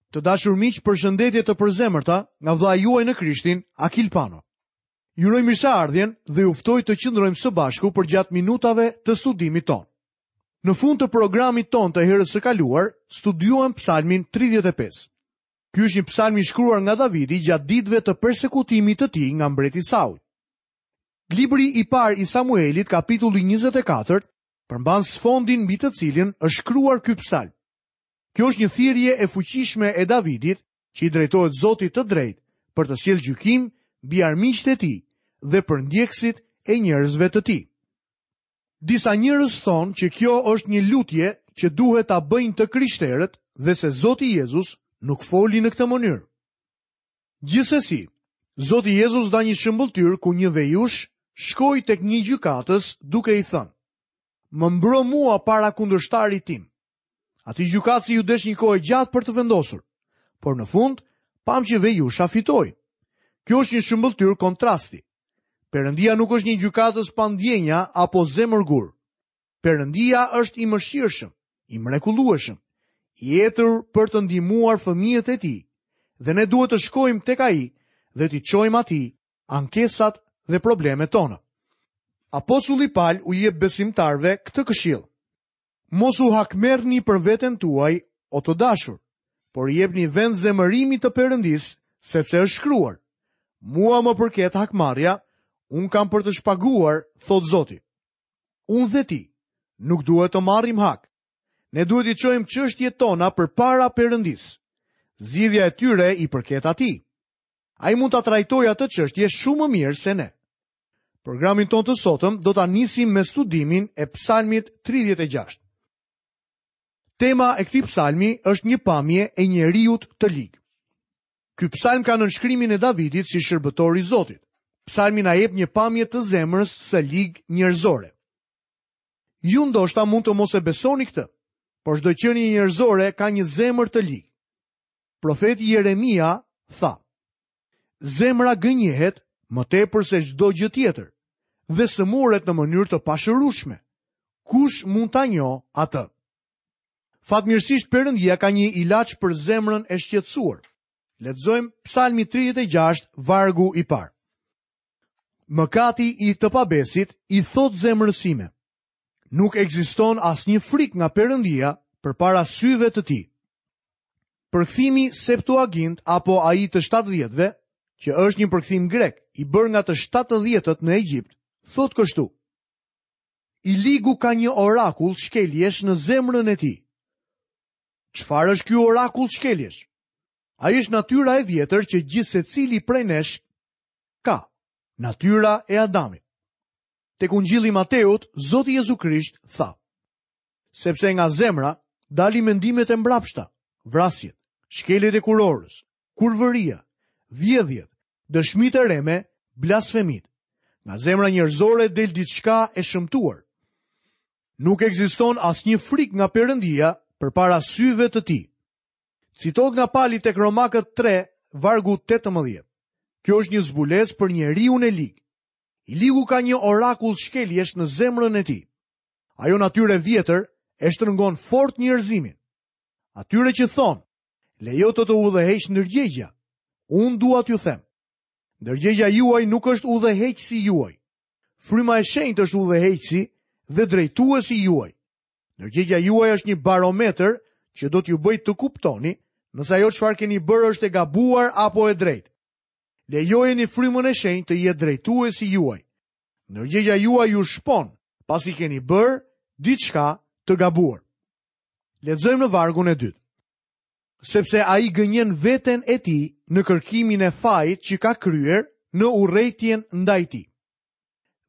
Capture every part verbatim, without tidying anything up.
Të dashur miq, përshëndetje të përzemërta nga vëllai juaj në Krishtin, Akil Pano. Ju uroj mirëseardhjen dhe ju ftoj të qëndrojmë së bashku përgjatë minutave të studimit tonë. Në fund të programit tonë të herës së kaluar, studiuam Psalmin tridhjetë e pesë. Ky është një psalm i shkruar nga Davidi gjatë ditëve të persekutimit të tij nga mbreti Saul. Libri i parë i Samuelit, kapitulli njëzet e katër, përmban sfondin mbi të cilin është shkruar ky psalm. Kjo është një thirrje e fuqishme e Davidit që i drejtohet Zotit të drejtë për të sjellë gjykim mbi armiqtë e tij dhe për ndjekësit e njerëzve të tij. Disa njerëz thonë që kjo është një lutje që duhet ta bëjnë të krishterët dhe se Zoti Jezus nuk foli në këtë mënyrë. Gjithsesi, Zoti Jezus dha një shëmbëlltyrë ku një vejush shkoi tek një gjykatës duke i thënë: Më mbro mua para kundërshtarit tim. Atij gjykatësi ju desh një kohë e gjatë për të vendosur, por në fund pam që vejusha fitoi. Kjo është një shëmbëlltyrë kontrasti. Perëndia nuk është një gjykatës pa ndjenja apo zemërgur. Perëndia është i mëshirshëm, i mrekullueshëm, i etur për të ndihmuar fëmijët e tij, dhe ne duhet të shkojmë tek ai dhe t'i çojmë atij ankesat dhe problemet tona. Apostulli Paul u jep besimtarëve këtë këshillë: Mos u hakmerrni për veten tuaj, o të dashur, por jepni vend zemërimit të Perëndisë, sepse është shkruar: Mua më përket hakmarrja, unë kam për të shpaguar, thot Zoti. Unë dhe ti nuk duhet të marrim hak. Ne duhet i çojmë çështjet tona përpara Perëndisë. Zgjidhja e tyre i përket atij. Ai mund ta trajtojë atë çështje shumë më mirë se ne. Programin tonë të sotëm do ta nisim me studimin e Psalmit tridhjetë e gjashtë. Tema e këtij psalmi është një pamje e njeriut të lig. Ky psalm ka nënshkrimin e Davidit si shërbëtor i Zotit. Psalmi na jep një pamje të zemrës së lig njerëzore. Ju ndoshta mund të mos e besoni këtë, por çdo qenie njerëzore ka një zemër të lig. Profeti Jeremia tha: Zemra gënjehet më tepër se çdo gjë tjetër dhe sëmuret në mënyrë të pashërueshme. Kush mund ta njohë atë? Fatmirësisht Perëndia ka një ilaç për zemrën e shqetësuar. Lexojmë Psalmi tridhjetë e gjashtë, vargu i parë. Mëkati i të pabesit i thot zemrës sime: Nuk ekziston asnjë frikë nga Perëndia përpara syve të tij. Përkthimi Septuagint apo ai të shtatëdhjetëve, që është një përkthim grek i bërë nga të shtatëdhjetët në Egjipt, thot kështu: I ligu ka një orakull shkeljesh në zemrën e tij. Çfarë është ky orakull shkeljesh? Ai është natyra e vjetër që gjithsecili prej nesh ka, natyra e Adamit. Tek Ungjilli i Mateut, Zoti Jezu Krisht tha: Sepse nga zemra dalin mendimet e mbrapshta, vrasjet, shkeljet e kurorës, kurvëria, vjedhjet, dëshmitë e reme, blasfemit. Nga zemra njerëzore del diçka e shëmtuar. Nuk ekziston asnjë frikë nga Perëndia përpara syve të tij. Citohet nga Pali tek Romakët tre, vargu tetëmbëdhjetë. Kjo është një zbulesë për njeriun e lig. I ligu ka një orakull shkeljesh në zemrën e tij. Ajo natyrë e vjetër e shtrëngon fort njerëzimin. Atyre që thonë, lejo të të udhëheq ndërgjegja, unë dua t'ju them, ndërgjegja juaj nuk është udhëheqësi juaj. Fryma e shenjtë është udhëheqësi dhe drejtuesi juaj. Ndërgjegja juaj është një barometër që do t'ju bëjë të kuptoni nëse ajo çfarë keni bërë është e gabuar apo e drejtë. Lejojeni frymën e shenjtë të jetë drejtuesi juaj. Ndërgjegja juaj ju shpon pasi keni bërë diçka të gabuar. Lexojmë në vargun e dytë. Sepse ai gënjen veten e tij në kërkimin e fajit që ka kryer në urrejtjen ndaj tij.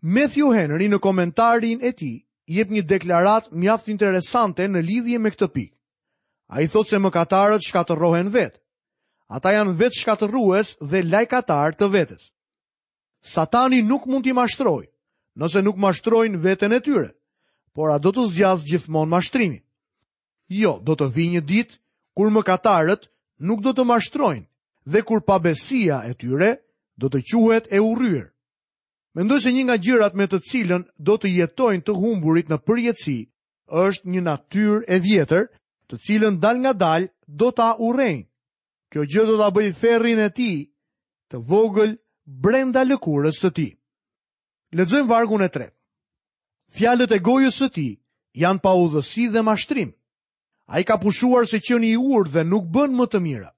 Matthew Henry në komentarin e tij jep një deklaratë mjaft interesante në lidhje me këtë pikë. Ai thotë se mëkatarët shkatërrohen vetë. Ata janë vetë shkatërrues dhe lajkatar të vetes. Satani nuk mund t'i mashtrojë, nëse nuk mashtrojnë veten e tyre, por a do të zgjasë gjithmonë mashtrimi? Jo, do të vijë një ditë kur mëkatarët nuk do të mashtrojnë dhe kur pabesia e tyre do të quhet e urryer. Mendoj se një nga gjërat me të cilën do të jetojnë të humburit në përjetësi është një natyrë e vjetër, të cilën dal nga dal do ta urrejnë. Kjo gjë do ta bëjë ferrin e tij të vogël brenda lëkurës së tij. Lexojmë vargun e tretë. Fjalët e gojës së tij janë paudhësi dhe mashtrim. Ai ka pushuar se qeni i urtë dhe nuk bën më të mira.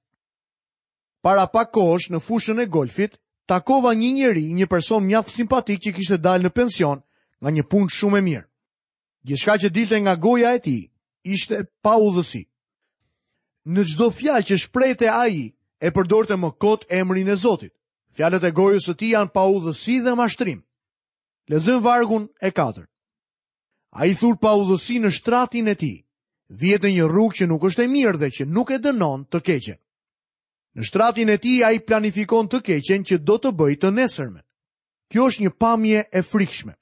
Para pak kohësh në fushën e golfit, takova një njeri, një person mjaft simpatik që kishte dalë në pension nga një punë shumë e mirë. Gjithçka që dilte nga goja e tij ishte paudhësi. Në çdo fjalë që shprehte ai, e përdorte më kot emrin e Zotit. Fjalët e gojës së tij janë paudhësi dhe mashtrim. Lexojmë vargun e katërt. Ai thur paudhësi në shtratin e tij. Vihet në një rrugë që nuk është e mirë dhe që nuk e dënon të keqen. Në shtratin e tij ai planifikon të keqen që do të bëjë të nesërmen. Kjo është një pamje e frikshme.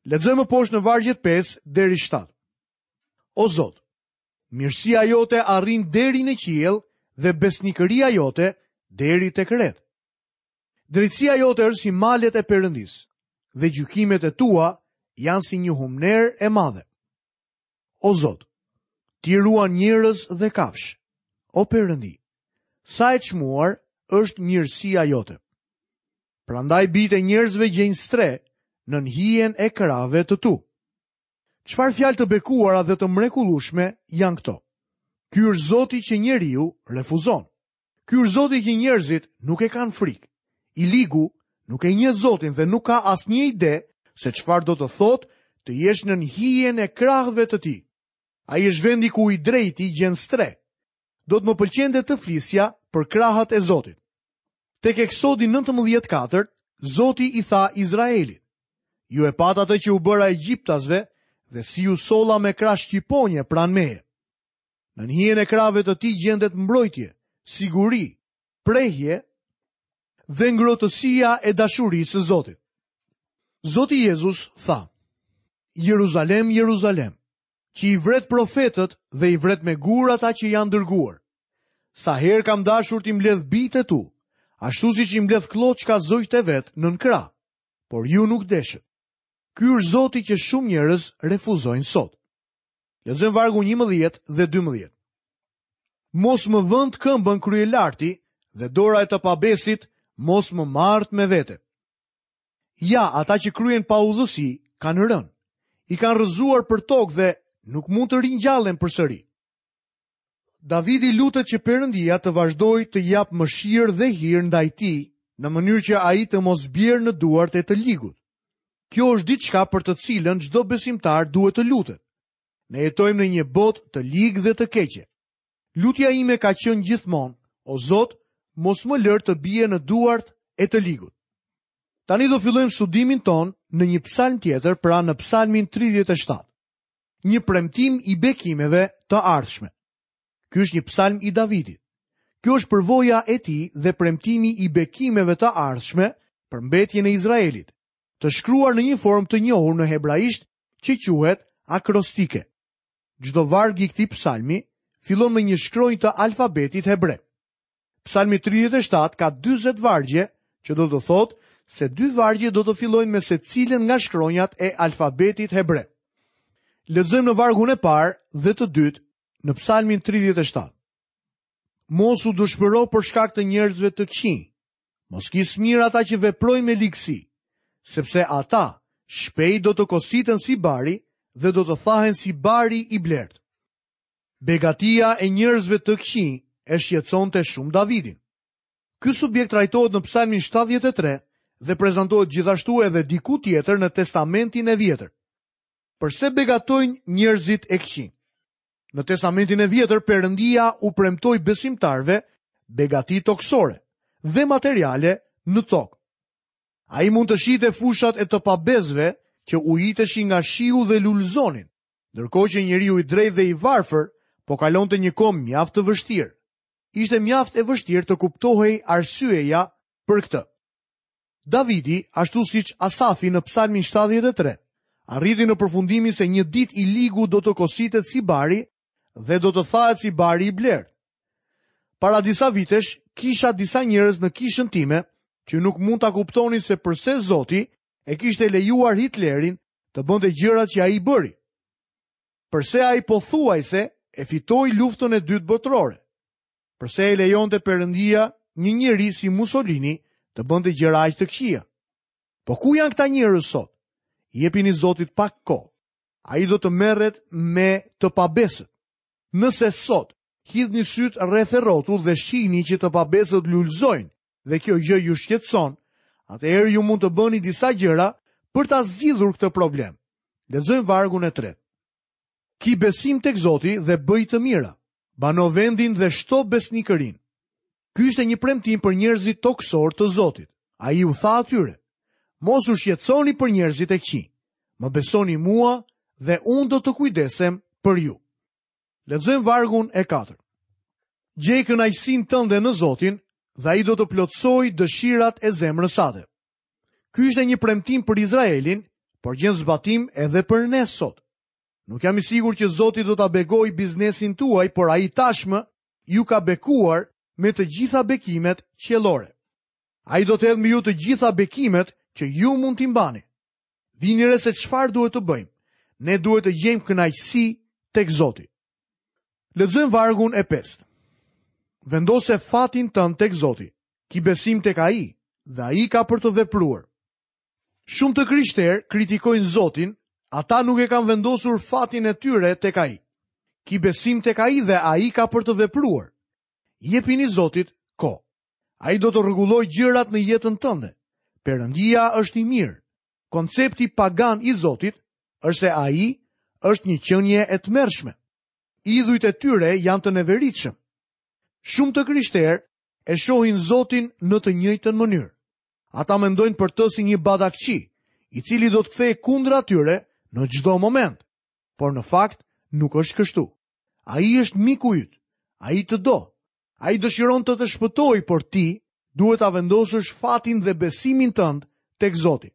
Lexojmë poshtë në vargjet pesë deri shtatë. O Zot, mirësia jote arrin deri në qiell dhe besnikëria jote deri tek ret. Drejtësia jote është si malet e Perëndisë dhe gjykimet e tua janë si një humnerë e madhe. O Zot, ti ruan njerëz dhe kafshë. O Perëndi, sa e çmuar është mirësia jote. Prandaj bijtë e njerëzve gjejnë strehë nën hijen e krahëve të tu. Çfarë fjalë të bekuara dhe të mrekullueshme janë këto? Ky është Zoti që njeriu refuzon. Ky është Zoti që njerëzit nuk e kanë frikë. I ligu nuk e njeh Zotin dhe nuk ka asnjë ide se çfarë do të thotë të jesh nën hijen e krahëve të tij. Ai është vendi ku i drejti gjen strehë. Do të më pëlqente të flisja për krahët e Zotit. Tek Eksodi nëntëmbëdhjetë katër, Zoti i tha Izraelit: Ju e patë atë që u bëra egjiptasve dhe si ju solla me krah shqiponje pranë meje. Nën hijen e krahëve të tij gjendet mbrojtje, siguri, prehje dhe ngrohtësia e dashurisë së Zotit. Zoti Jezus tha: Jeruzalem, Jeruzalem, që i vret profetët dhe i vret me gur ata që janë dërguar. Sa herë kam dashur t'i mbledh bijtë e tu, ashtu siç i mbledh klloçka zogjtë e vet nën krah, por ju nuk deshët. Ky është Zoti që shumë njerëz refuzojnë sot. Lexojmë vargun njëmbëdhjetë dhe dymbëdhjetë. Mos më vënd këmbën kryelarti dhe dora e të pabesit mos më marrt me vete. Ja, ata që kryen paudhësi kanë rënë. I kanë rrëzuar për tokë dhe nuk mund të ringjallen përsëri. Davidi lutet që Perëndia të vazhdojë të jap mëshirë dhe hir ndaj tij, në mënyrë që ai të mos bjerë në duart e të ligut. Kjo është diçka për të cilën çdo besimtar duhet të lutet. Ne jetojmë në një botë të ligë dhe të keqe. Lutja ime ka qenë gjithmonë: O Zot, mos më lër të bie në duart e të ligut. Tani do fillojmë studimin ton në një psalm tjetër, pra në psalmin tridhjetë e shtatë. Një premtim i bekimeve të ardhshme. Ky është një psalm i Davidit. Kjo është përvoja e tij dhe premtimi i bekimeve të ardhshme për mbetjen e Izraelit, të shkruar në një formë të njohur në hebraisht që quhet akrostike. Çdo varg i këtij psalmi fillon me një shkronjë të alfabetit hebre. Psalmi tridhjetë e shtatë ka dyzet vargje, që do të thotë se dy vargje do të fillojnë me secilën nga shkronjat e alfabetit hebre. Lexojmë në vargun e parë dhe të dytë në Psalmin tridhjetë e shtatë. Mos u dëshpëro për shkak të njerëzve të këqij. Mos ki smirë ata që veprojnë me ligësi, sepse ata shpejt do të kositen si bari dhe do të thahen si bari i blert. Begatia e njerëzve të këqij e shqetësonte shumë Davidin. Ky subjekt trajtohet në Psalmin shtatëdhjetë e tre dhe prezantohet gjithashtu edhe diku tjetër në Testamentin e Vjetër. Përse begatojnë njerëzit e këqij? Në Testamentin e Vjetër, Perëndia u premtoi besimtarëve begati tokësore dhe materiale në tokë. Ai mund të shihte fushat e të pabesëve që ujiteshin nga shiu dhe lulëzonin, ndërkohë që njeriu i drejtë dhe i varfër po kalonte një kohë mjaft të vështirë. Ishte mjaft e vështirë të kuptohej arsyeja për këtë. Davidi, ashtu siç Asafi në Psalmin shtatëdhjetë e tre, arriti në përfundimin se një ditë i ligu do të kositet si bari dhe do të thahet si bari i blertë. Para disa vitesh, kisha disa njerëz në kishën time që nuk mund ta kuptonin se përse Zoti e kishte lejuar Hitlerin të bënte gjërat që ai bëri. Përse ai pothuajse e fitoi luftën e dytë botërore. Përse e lejonte Perëndia një njeri si Mussolini të bënte gjëra aq të këqija? Po ku janë këta njerëz sot? Jepini Zotit pak kohë. Ai do të merret me të pabesët. Nëse sot hidhni syt rreth e rrotull dhe shihni që të pabesët lulëzojnë dhe kjo gjë ju shqetëson, atëherë ju mund të bëni disa gjëra për ta zgjidhur këtë problem. Lexojmë vargun e tretë. Ki besim tek Zoti dhe bëj të mira. Bano vendin dhe shto besnikërinë. Ky ishte një premtim për njerëzit tokësor të Zotit. Ai u tha atyre: Mos u shqetësoni për njerëzit e këqij. Më besoni mua dhe unë do të kujdesem për ju. Lexojmë vargun e katërt. Gjej kënaqësinë tënde në Zotin dhe ai do të plotësojë dëshirat e zemrës sate. Ky ishte një premtim për Izraelin, por gjen zbatim edhe për ne sot. Nuk jam i sigurt që Zoti do ta bekojë biznesin tuaj, por ai tashmë ju ka bekuar me të gjitha bekimet qiellore. Ai do të hedhë mbi ju të gjitha bekimet që ju mund t'i mbani. Vini re se çfarë duhet të bëjmë. Ne duhet të gjejmë kënaqësi tek Zoti. Lexojmë vargun e pestë. Vendose fatin tënd tek Zoti. Ki besim tek ai dhe ai ka për të vepruar. Shumë të krishterë kritikojnë Zotin, ata nuk e kanë vendosur fatin e tyre tek ai. Ki besim tek ai dhe ai ka për të vepruar. Jepini Zotit kohë. Ai do të rregullojë gjërat në jetën tënde. Perëndia është i mirë. Koncepti pagan i Zotit është se ai është një qenie e tmerrshme. Idhujt e tyre janë të neveritshëm. Shumë të krishterë e shohin Zotin në të njëjtën mënyrë. Ata mendojnë për të si një badakçi, i cili do të kthehej kundra tyre në çdo moment. Por në fakt nuk është kështu. Ai është miku yt. Ai të do. Ai dëshiron të të shpëtojë, por ti duhet ta vendosësh fatin dhe besimin tënd tek Zoti.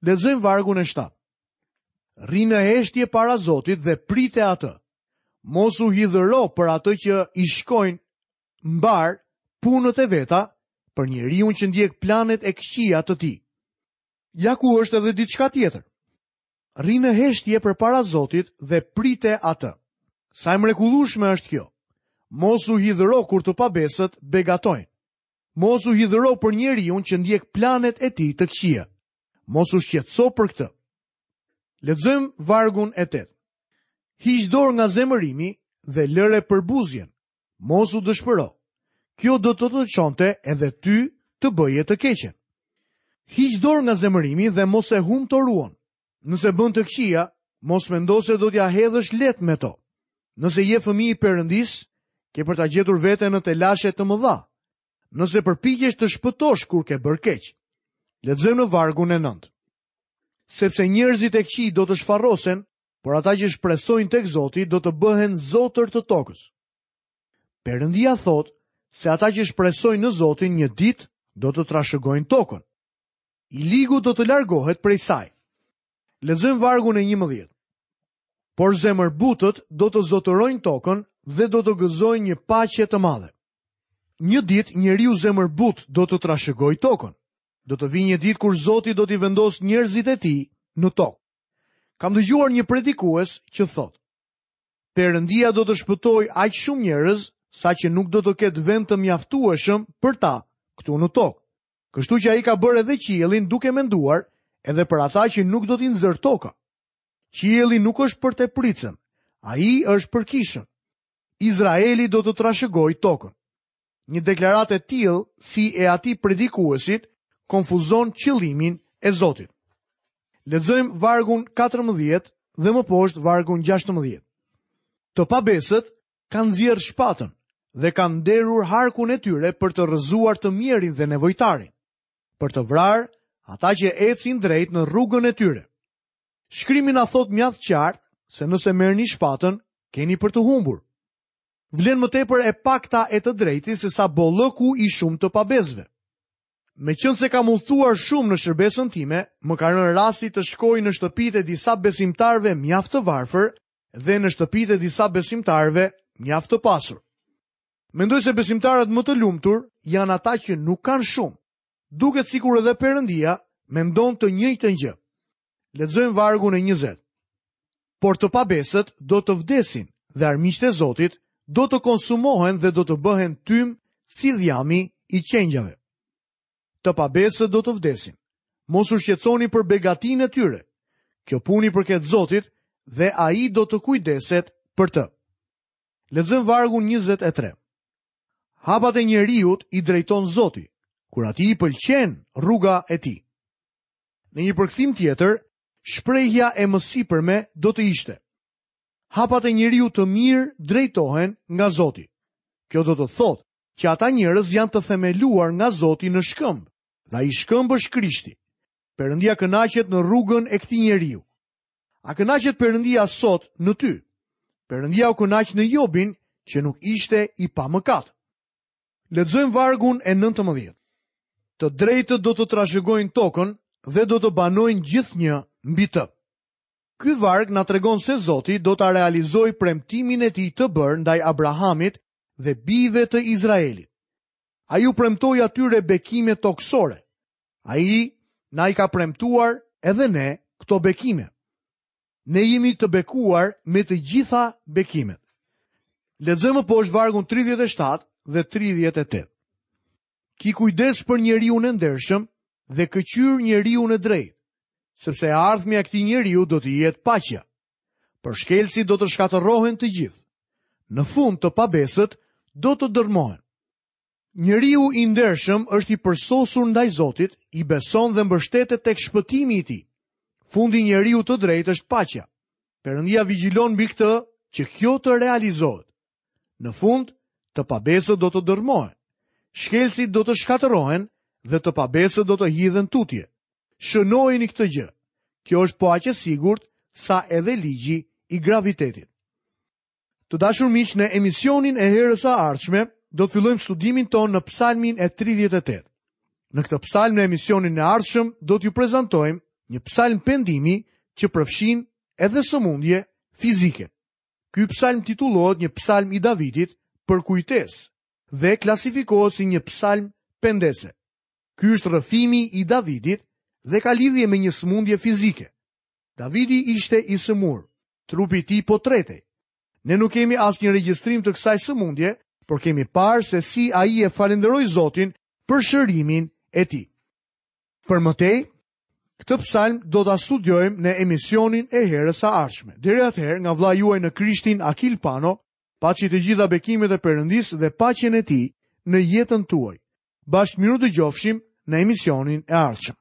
Lexojmë vargun e shtatë. Rri në heshtje para Zotit dhe prite atë. Mos u hidhëro për atë që i shkojnë mbar punët e veta, për njeriun që ndjek planet e këqija të tij. Ja ku është edhe diçka tjetër. Rri në heshtje përpara Zotit dhe prite atë. Sa e mrekullueshme është kjo. Mos u hidhëro kur të pabesët begatojnë. Mos u hidhëro për njeriun që ndjek planet e tij të këqija. Mos u shqetëso për këtë. Lexojmë vargun e tetë. Hiq dorë nga zemërimi dhe lëre përbuzjen. Mos u dëshpëro. Kjo do të të çonte edhe ty të bëje të keqen. Hiq dorë nga zemërimi dhe mos e humb toruan. Nëse bën të këqija, mos mendo se do t'ja hedhësh lehtë me to. Nëse je fëmijë i Perëndis, ke për ta gjetur veten në telashe të mëdha. Nëse përpiqesh të shpëtosh kur ke bërë keq. Lexojmë në vargun e nëntë. Sepse njerëzit e këqij do të shfarrosen, por ata që shpresojnë tek Zoti do të bëhen zotër të tokës. Perëndia thotë se ata që shpresojnë në Zotin një ditë do të trashëgojnë tokën. I ligu do të largohet prej saj. Lexojmë vargun e njëmbëdhjetë. Por zemërbutët do të zotërojnë tokën dhe do të gëzojnë një paqe të madhe. Një ditë njeriu zemërbut do të trashëgojë tokën. Do të vijë një ditë kur Zoti do t'i vendosë njerëzit e tij në tokë. Kam dëgjuar një predikues që thotë: Perëndia do të shpëtojë aq shumë njerëz sa që nuk do të ketë vend të mjaftueshëm për ta këtu në tokë. Kështu që ai ka bërë edhe qiellin duke menduar edhe për ata që nuk do t'i nxër toka. Qielli nuk është për tepricën, ai është për kishën. Izraeli do të trashëgojë tokën. Një deklaratë e tillë si e atij predikuesit konfuzon qëllimin e Zotit. Lexojmë vargun katërmbëdhjetë dhe më poshtë vargun gjashtëmbëdhjetë. Të pabesët kanë nxjerrë shpatën dhe kanë nderur harkun e tyre për të rrëzuar të mjerin dhe nevojtarin, për të vrarë ata që ecin drejt në rrugën e tyre. Shkrimi na thot mjaft qartë se nëse merrni shpatën, keni për të humbur. Vlen më tepër e pakta e të drejtit se sa bollëku i shumë të pabesëve. Meqense kam udhëtuar shumë në shërbesën time, më ka rënë rasti të shkoj në shtëpitë e disa besimtarëve mjaft të varfër dhe në shtëpitë e disa besimtarëve mjaft të pasur. Mendoj se besimtarët më të lumtur janë ata që nuk kanë shumë. Duket sikur edhe Perëndia mendon të njëjtën gjë. Lexojmë vargun e njëzet. Por të pabesët do të vdesin dhe armiqtë e Zotit do të konsumohen dhe do të bëhen tym si dhjami i qengjave. Të pabesët do të vdesin. Mos u shqetësoni për begatinë e tyre. Kjo punë i përket Zotit dhe ai do të kujdeset për të. Lexojmë vargun njëzet e tre. Hapat e njeriut i drejton Zoti, kur atij i pëlqen rruga e tij. Në një përkthim tjetër, shprehja e mësipërme do të ishte: Hapat e njeriut të mirë drejtohen nga Zoti. Kjo do të thotë që ata njerëz janë të themeluar nga Zoti në shkëmb, dhe ai shkëmb është Krishti. Perëndia kënaqet në rrugën e këtij njeriu. A kënaqet Perëndia sot në ty? Perëndia u kënaq në Jobin, që nuk ishte i pamëkat. Lexojmë vargun e nëntëmbëdhjetë. Të drejtët do të trashëgojnë tokën dhe do të banojnë gjithnjë mbi të. Ky varg na tregon se Zoti do ta realizojë premtimin e tij të bërë ndaj Abrahamit dhe bijve të Izraelit. Ai u premtoi atyre bekime tokësore. Ai na i ka premtuar edhe ne këto bekime. Ne jemi të bekuar me të gjitha bekimet. Lexojmë poshtë vargun tridhjetë e shtatë dhe tridhjetë e tetë. Ki kujdes për njeriun e ndershëm dhe këqyr njeriun e drejtë, sepse e ardhmja e këtij njeriu do të jetë paqja. Për shkelësit do të shkatërrohen të gjithë. Në fund të pabesët do të dërmohen. Njeriu i ndershëm është i përsosur ndaj Zotit, i beson dhe mbështetet tek shpëtimi i tij. Fundi i njeriu të drejtë është paqja. Perëndia vigjilon mbi këtë që kjo të realizohet. Në fund, të pabesët do të dërmohen. Shkelësit do të shkatërrohen dhe të pabesët do të hidhen tutje. Shënojeni këtë gjë. Kjo është po aq e sigurt sa edhe ligji i gravitetit. Të dashur miq, në emisionin e herës së ardhshme do të fillojmë studimin tonë në Psalmin e tridhjetë e tetë. Në këtë psalm në emisionin e ardhshëm do t'ju prezantojmë një psalm pendimi që përfshin edhe sëmundje fizike. Ky psalm titullohet një psalm i Davidit për kujtesë dhe klasifikohet si një psalm pendese. Ky është rrëfimi i Davidit dhe ka lidhje me një sëmundje fizike. Davidi ishte i sëmur, trupi i tij po tretej. Ne nuk kemi asnjë regjistrim të kësaj sëmundje, por kemi parë se si ai e falenderoi Zotin për shërimin e tij. Për më tej, këtë psalm do ta studiojmë në emisionin e herës së ardhshme. Deri atëherë, nga vëllai juaj në Krishtin Akil Pano, paçi të gjitha bekimet e Perëndisë dhe paqen e tij në jetën tuaj. Bashkë miru dëgjofshim në emisionin e ardhshëm.